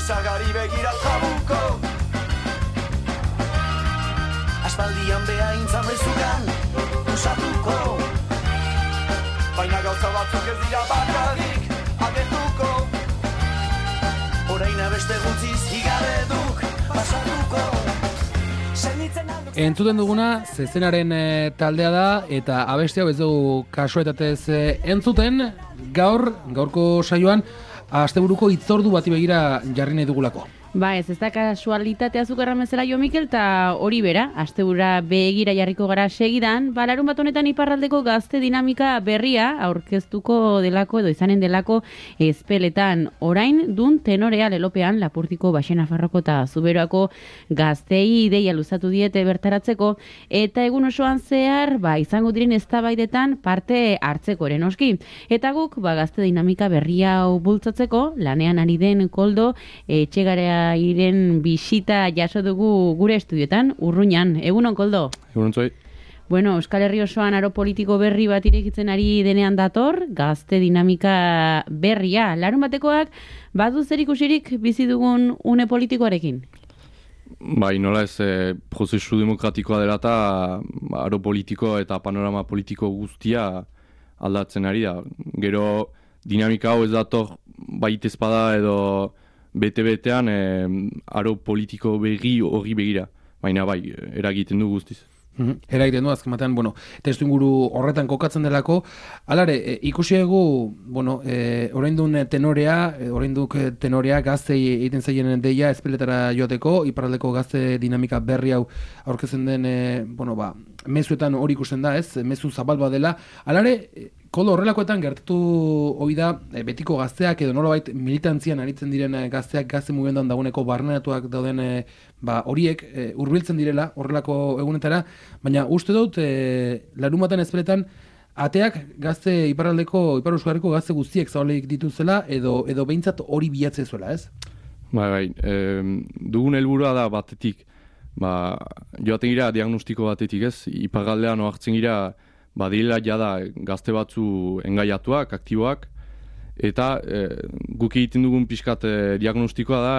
izagari begira trabuko. Aspaldian beha intzan bezukan, usatuko. Baina gauza batzuk ez dira bakarrik agertuko. Orain beste gutziz higareduk pasatuko. Entzuten duguna zezenaren taldea da eta abesti hau ez dugu kasuetatez entzuten. Gaurko saioan asteburuko hitzordu bati begira jarri nahi dugulako. Ba ez da kasualitatea zukerra mezela Jo Mikel, eta hori bera, astebura begira jarriko gara segidan, larun bat honetan iparraldeko gazte dinamika berria aurkeztuko delako edo izanen delako Ezpeletan. Orain dun tenorea lelopean Lapurtiko, Baxenafarroko eta Zuberoako gaztei ideia luzatu diete bertaratzeko, eta egun osoan zehar izango diren eztabaidetan parte hartzeko ere noski. Eta guk gazte dinamika berria hau bultzatzeko lanean ari den Koldo Etxegarea iren bisita jaso dugu gure estudioetan, Urruñan. Egunon, Koldo? Egunon zoi. Bueno, Euskal Herri osoan aro politiko berri bat irekitzen ari denean dator, gazte dinamika berria. Larun batekoak, badu zer ikusirik bizi dugun une politikoarekin? Bai, nola ez, prozesu demokratikoa dela eta aro politiko eta panorama politiko guztia aldatzen ari da. Gero dinamika hau ez dator baita espada edo bete-betean aro politiko berri horri begira. Baina bai, eragiten du guztiz. Eragiten du, azken batean, testu inguru horretan kokatzen delako. Alare, ikusi egu, oraindun tenorea gaztei egiten zaien deia Ezpeletara joateko, iparraldeko gazte dinamika berri hau aurkezen den, mezuetan hori ikusten da, ez? Mezu zabal bat dela. Alare, Koldo, horrelakoetan gertatu hori da betiko gazteak edo nolabait militantzian aritzen diren gazteak gazte mugimenduan dagoeneko barneratuak dauden horiek hurbiltzen direla horrelako egunetara, baina uste dut larunbatean Ezpeletan ateak gazte Ipar Euskarriko gazte guztiek zabalik dituzela edo behintzat hori bilatzen zuela, ez? Bai, dugun helburua da batetik, joaten gira diagnostiko batetik, ez? Iparraldean ohartzen gira badila jada gazte batzu engaiatuak, aktiboak, eta guk egiten dugun pixkat diagnostikoa da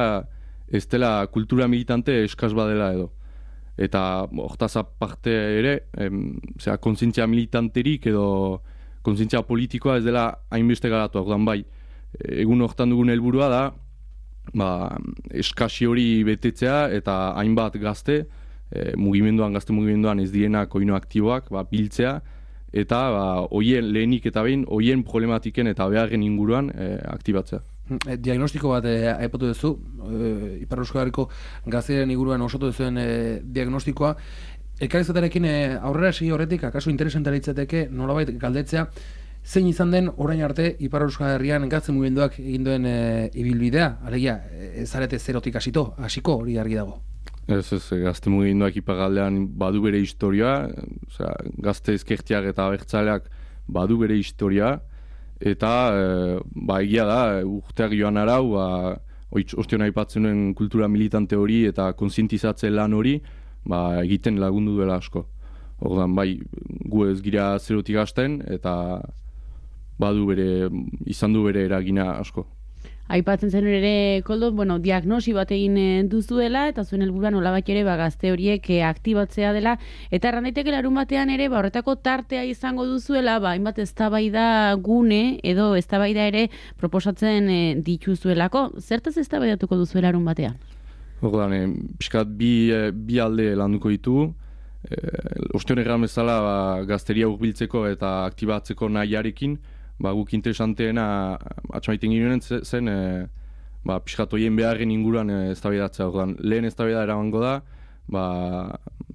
ez dela kultura militante eskas badela edo. Eta hortaz aparte ere, kontzientzia militanterik edo kontzientzia politikoa ez dela hainbeste garatu. Orduan bai, egun hortan dugun helburua da eskasi hori betetzea eta hainbat gazte, gazte mugimenduan ez dienak oino aktiboak, biltzea, eta hoien lehenik eta behin, hoien problematiken eta beharren inguruan aktibatzea. Diagnostiko bat aipatu duzu, Ipar Euskarriko gazteren inguruan osatu duzuen diagnostikoa. Elkarrizketarekin aurrera segi horretik, akaso interesantea litzateke nolabait galdetzea, zein izan den orain arte Ipar Euskal Herrian gazte mugimenduak egin duen ibilbidea, alegia, ez zarete zerotik hasiko hori argi dago. Ez, gazte mugimenduak iparraldean badu bere historia, gazte ezkertiak eta abertzaleak badu bere historia, eta egia da, urteak joan arau, ostion aipatzen nuen kultura militante hori eta kontzientizatze lan hori, egiten lagundu duela asko. Ordan gu ez gira zerotik hasten, eta izan du bere eragina asko. Aipatzen zen ere, Koldo, diagnosi bat egin duzuela, eta zuen helburua nolabait ere gazte horiek aktibatzea dela, eta erran daiteke larun batean ere, horretako tartea izango duzuela, hainbat eztabaida gune, edo eztabaida ere proposatzen dituzuelako. Zertaz eztabaidatuko duzuela larun batean? Ordan, pixkat bi alde landuko ditugu. Ostion erran bezala gazteria hurbiltzeko eta aktibatzeko nahiarekin, guk interesanteena atxamaiten ginen zen pixkat hoien beharren inguruan eztabaidatzea. Lehen eztabaida eramango da,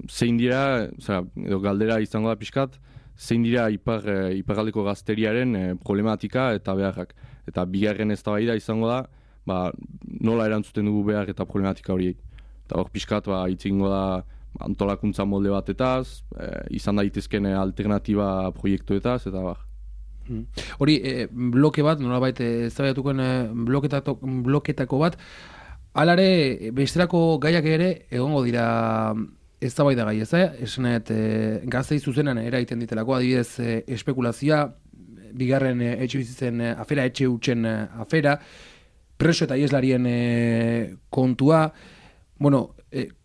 zein dira, edo galdera izango da pixkat, zein dira iparraldeko gazteriaren problematika eta beharrak. Eta bigarren eztabaida izango da, nola erantzuten dugu behar eta problematika horiek. Eta hor pixkat hitz egingo da antolakuntza molde batetaz, izan daitezken alternatiba proiektuetaz, eta Hori, bloke bat, nolabait eztabaidatukoen bloketako bat, alare besterako gaiak ere egongo dira eztabaida gai, ez da? Esanet, gaztei zuzenan eragiten ditelako, adibidez espekulazioa, bigarren etxe bizitzen afera, etxe hutsen afera, preso eta ieslarien kontua, bueno,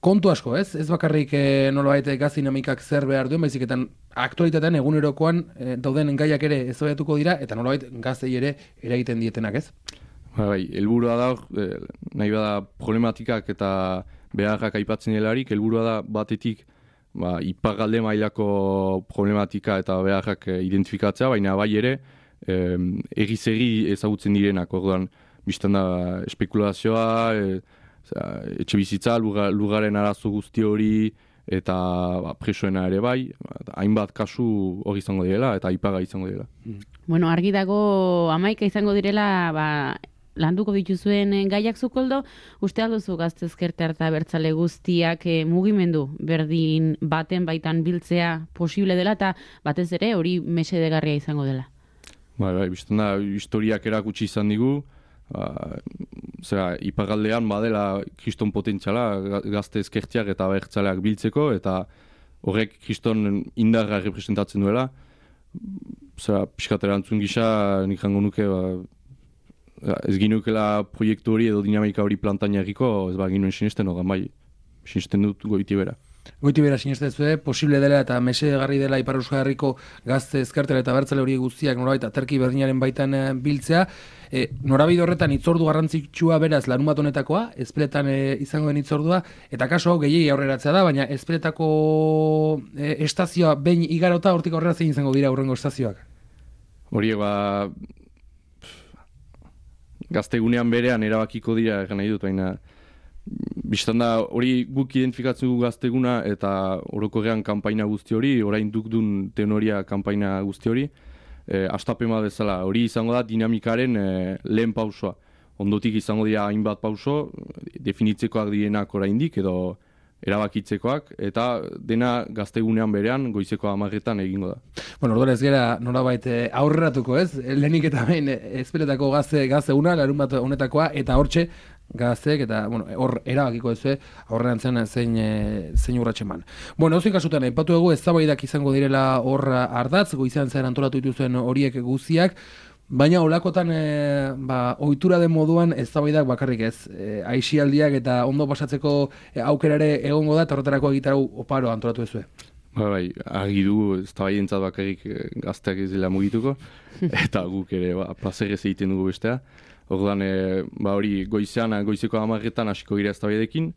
kontu asko, ez? Ez bakarrik nolabait gaz dinamikak zer behar duen, baizik eta aktualitatean egunerokoan dauden gaiak ere ezabatuko dira, eta nolabait gaztei ere eragiten dietenak, ez? Bai, helburua da, nahi bada problematikak eta beharrak aipatzen delarik, helburua da batetik iparralde mailako problematika eta beharrak identifikatzea, baina bai ere, erri ezagutzen direnak, orduan, biztan da espekulazioa, etxe bizitza, lugaren arazo guzti hori, eta presoena ere bai, hainbat kasu hori izango direla, eta ipaga izango direla. Bueno, argi dago 11 izango direla, landuko dituzuen gaiak Zukoldo, uste alduzu Gazte Ezkertiar eta Abertzale guztiak mugimendu berdin baten baitan biltzea posible dela, eta batez ere hori mesedegarria izango dela. Bai, biztan da, historiak erakutsi izan digu, iparraldean badela kriston potentziala Gazte Ezkertiak eta Abertzaleak biltzeko, eta horrek kriston indarra representatzen duela. Pixkat erantzun gisa, nik jango nuke, ez ginukela proiektu hori edo dinamika hori plantaina egiko, ez ginuen sinesten, bai, sinesten dut goiti bera. Goiti bera sinesten zuen, posible dela eta mesedegarri dela Ipar Euskal Herriko Gazte Ezkertiar eta Abertzale hori guztiak norabait aterki berdinaren baitan biltzea. Norabide horretan hitzordu garrantzitsua beraz larunbat honetakoa, Ezpeletan izango den hitzordua, eta kaso hau gehiegi aurreratzea da, baina Ezpeletako estazioa behin igarota hortik aurrera zein izango dira aurrengo estazioak? Horiek gaztegunean berean erabakiko dira egan nahi dut, baina biztan da hori guk identifikatzen dugu gazteguna eta orokorrean kanpaina guzti hori, orain dukdun tenoria kanpaina guzti hori, astapema bezala, hori izango da dinamikaren lehen pausoa. Ondotik izango dira hainbat pauso, definitzekoak direnak oraindik edo erabakitzekoak, eta dena gaztegunean berean goizeko 10etan egingo da. Bueno, orduan ez gera nolabait aurreratuko, ez? Lehenik eta behin Ezpeletako gazteguna, larunbat honetakoa, eta hortxe gazteek, eta hor erabakiko ez aurrerantzen zein urratsen man. Bueno, hauzik kasutan, aipatu dugu eztabaidak izango direla hor ardatz, goizean zer antolatu dituzuen horiek guztiak, baina olakotan ohitura den moduan eztabaidak bakarrik ez. Aisialdiak eta ondo pasatzeko aukerare egongo da, eta horretarako egitarau oparo antolatu ezue. Bai, argi dugu eztabaidentzat bakarrik gazteak ez dela mugituko, eta guk ere plazerrez egiten dugu bestea. Orduan, hori goizeko 10etan hasiko gira eztabaidekin,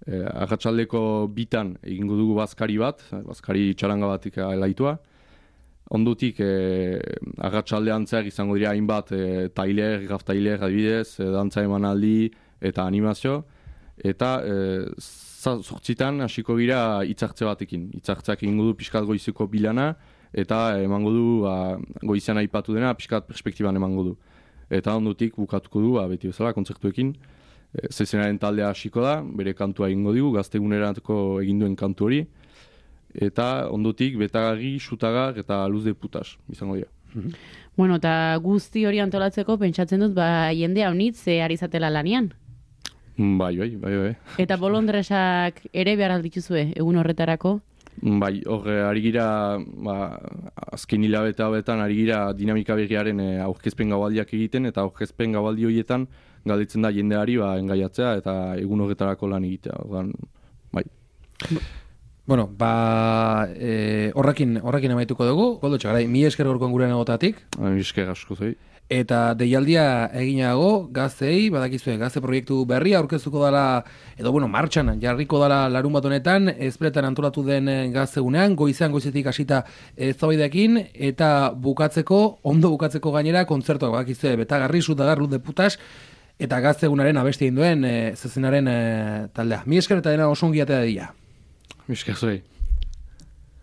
arratsaldeko 2 egingo dugu bazkari bat, bazkari txaranga batik elaitua. Ondotik, arratsaldean zer izango dira hainbat tailer, graf-tailer adibidez, dantza emanaldi eta animazio. Eta 8 hasiko gira hitzartze batekin. Hitzartzeak egingo du pixkat goizeko bilana, eta emango du goizean aipatu dena pixkat perspektiban emango du. Eta ondotik bukatuko du, beti bezala, kontzertuekin. Zezenaren taldea hasiko da, bere kantua egingo digu, gaztegunerako eginduen kantu hori. Eta ondotik betagarri, xutagar eta luz de putas izango dira. Bueno, eta guzti hori antolatzeko pentsatzen dut jende haunitz ari zatela lanian. Bai. Eta bolondresak ere behar aldituzue egun horretarako? Bai, ari gira, azken hilabete hauetan ari gira dinamika berriaren aurkezpen gaualdiak egiten, eta aurkezpen gaualdi horietan galdetzen da jendeari engaiatzea eta egun horretarako lan egitea. Bai. Bueno, horrekin amaituko dugu. Koldo Txagarai, 1000 esker gorkoan gure nagotatik. 1000 esker asko zei. Eta deialdia eginago, gaztei, badakizue, gazte proiektu berria aurkeztuko dela, edo martxan jarriko dela larunbat honetan, Ezpeletan antolatu den gaztegunean, goizetik hasita eztabaideekin, eta ondo bukatzeko gainera, kontzertuak badakizue, betagarri, xutagar, luz de putas, eta gaztegunaren abesti egin duen zezenaren taldea. 1000 esker eta dena oso ongi atea dira. Misker zuei.